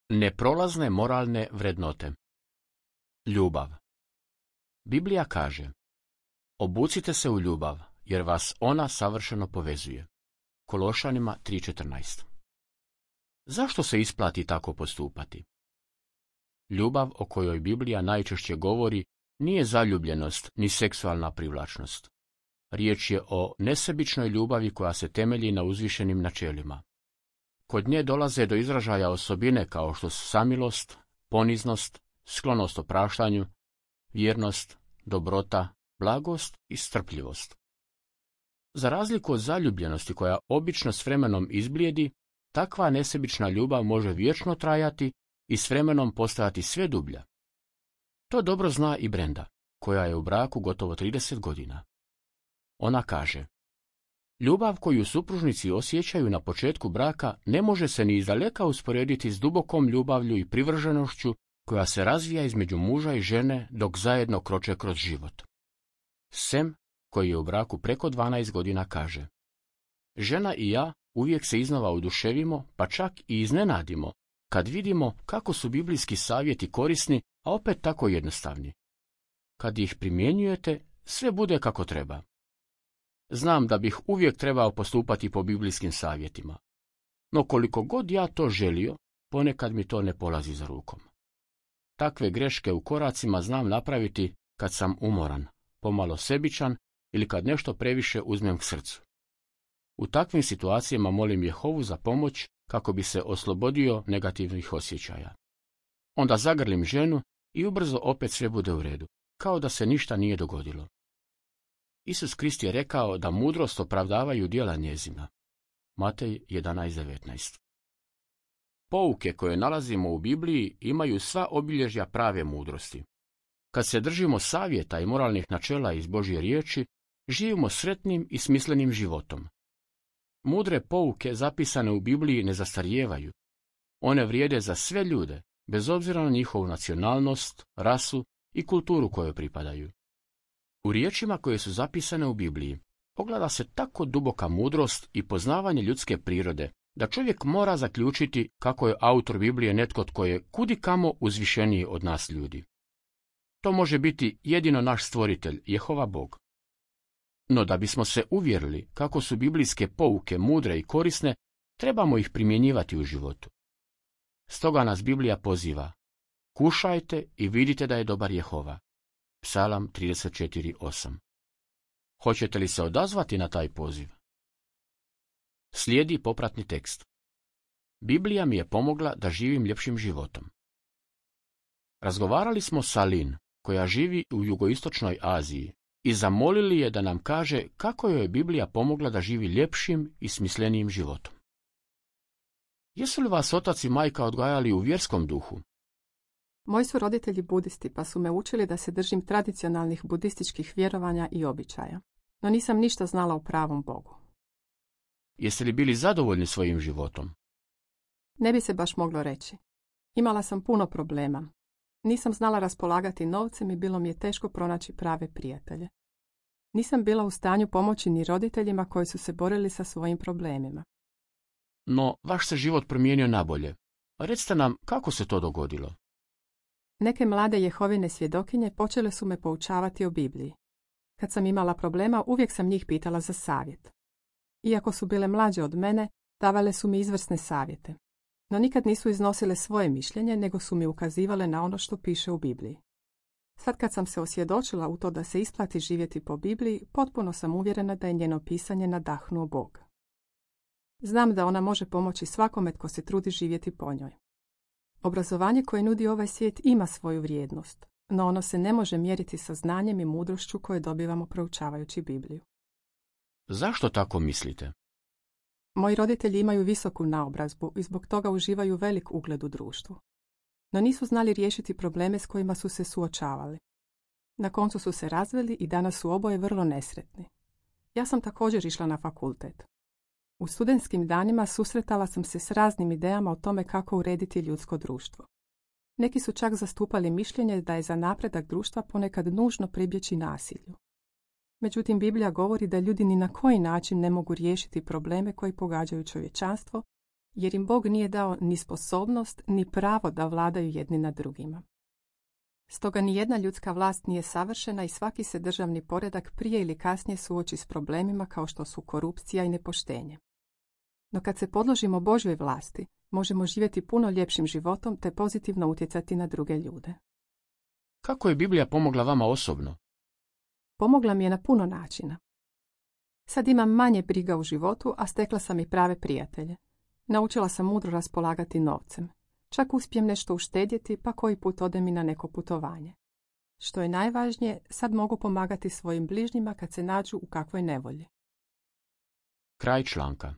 Neprolazne moralne vrednote. Ljubav. Biblija kaže: obucite se u ljubav, jer vas ona savršeno povezuje. Kološanima 3:14. Zašto se isplati tako postupati? Ljubav o kojoj Biblija najčešće govori nije zaljubljenost ni seksualna privlačnost. Riječ je o nesebičnoj ljubavi koja se temelji na uzvišenim načelima. Kod nje dolaze do izražaja osobine kao što su samilost, poniznost, sklonost opraštanju, vjernost, dobrota, blagost i strpljivost. Za razliku od zaljubljenosti koja obično s vremenom izblijedi, takva nesebična ljubav može vječno trajati i s vremenom postajati sve dublja. To dobro zna i Brenda, koja je u braku gotovo 30 godina. Ona kaže: ljubav koju supružnici osjećaju na početku braka ne može se ni izdaleka usporediti s dubokom ljubavlju i privrženošću koja se razvija između muža i žene dok zajedno kroče kroz život. Sem, koji je u braku preko 12 godina, kaže: žena i ja uvijek se iznova oduševimo, pa čak i iznenadimo, kad vidimo kako su biblijski savjeti korisni, a opet tako jednostavni. Kad ih primjenjujete, sve bude kako treba. Znam da bih uvijek trebao postupati po biblijskim savjetima, no koliko god ja to želio, ponekad mi to ne polazi za rukom. Takve greške u koracima znam napraviti kad sam umoran, pomalo sebičan ili kad nešto previše uzmem k srcu. U takvim situacijama molim Jehovu za pomoć kako bi se oslobodio negativnih osjećaja. Onda zagrlim ženu i ubrzo opet sve bude u redu, kao da se ništa nije dogodilo. Isus Krist je rekao da mudrost opravdavaju djela njezina. Matej 11:19. Pouke koje nalazimo u Bibliji imaju sva obilježja prave mudrosti. Kad se držimo savjeta i moralnih načela iz Božje riječi, živimo sretnim i smislenim životom. Mudre pouke zapisane u Bibliji ne zastarijevaju. One vrijede za sve ljude, bez obzira na njihovu nacionalnost, rasu i kulturu kojoj pripadaju. U riječima koje su zapisane u Bibliji ogleda se tako duboka mudrost i poznavanje ljudske prirode, da čovjek mora zaključiti kako je autor Biblije netko tko je kudikamo uzvišeniji od nas ljudi. To može biti jedino naš stvoritelj, Jehova Bog. No da bismo se uvjerili kako su biblijske pouke mudre i korisne, trebamo ih primjenjivati u životu. Stoga nas Biblija poziva: kušajte i vidite da je dobar Jehova. Psalam 34:8. Hoćete li se odazvati na taj poziv? Slijedi popratni tekst. Biblija mi je pomogla da živim ljepšim životom. Razgovarali smo sa Lin, koja živi u jugoistočnoj Aziji, i zamolili je da nam kaže kako joj je Biblija pomogla da živi ljepšim i smislenijim životom. Jesu li vas otac i majka odgajali u vjerskom duhu? Moji su roditelji budisti, pa su me učili da se držim tradicionalnih budističkih vjerovanja i običaja, no nisam ništa znala o pravom Bogu. Jeste li bili zadovoljni svojim životom? Ne bi se baš moglo reći. Imala sam puno problema. Nisam znala raspolagati novcem i bilo mi je teško pronaći prave prijatelje. Nisam bila u stanju pomoći ni roditeljima koji su se borili sa svojim problemima. No, vaš se život promijenio nabolje. Recite nam kako se to dogodilo. Neke mlade Jehovine svjedokinje počele su me poučavati o Bibliji. Kad sam imala problema, uvijek sam njih pitala za savjet. Iako su bile mlađe od mene, davale su mi izvrsne savjete. No nikad nisu iznosile svoje mišljenje, nego su mi ukazivale na ono što piše u Bibliji. Sad kad sam se osvjedočila u to da se isplati živjeti po Bibliji, potpuno sam uvjerena da je njeno pisanje nadahnuo Bog. Znam da ona može pomoći svakome tko se trudi živjeti po njoj. Obrazovanje koje nudi ovaj svijet ima svoju vrijednost, no ono se ne može mjeriti sa znanjem i mudrošću koje dobivamo proučavajući Bibliju. Zašto tako mislite? Moji roditelji imaju visoku naobrazbu i zbog toga uživaju velik ugled u društvu. No nisu znali riješiti probleme s kojima su se suočavali. Na koncu su se razveli i danas su oboje vrlo nesretni. Ja sam također išla na fakultet. U studentskim danima susretala sam se s raznim idejama o tome kako urediti ljudsko društvo. Neki su čak zastupali mišljenje da je za napredak društva ponekad nužno pribjeći nasilju. Međutim, Biblija govori da ljudi ni na koji način ne mogu riješiti probleme koji pogađaju čovječanstvo jer im Bog nije dao ni sposobnost, ni pravo da vladaju jedni nad drugima. Stoga ni jedna ljudska vlast nije savršena i svaki se državni poredak prije ili kasnije suoči s problemima kao što su korupcija i nepoštenje. No kad se podložimo Božjoj vlasti, možemo živjeti puno ljepšim životom te pozitivno utjecati na druge ljude. Kako je Biblija pomogla vama osobno? Pomogla mi je na puno načina. Sad imam manje briga u životu, a stekla sam i prave prijatelje. Naučila sam mudro raspolagati novcem. Čak uspijem nešto uštedjeti, pa koji put odem i na neko putovanje. Što je najvažnije, sad mogu pomagati svojim bližnjima kad se nađu u kakvoj nevolji. Kraj članka.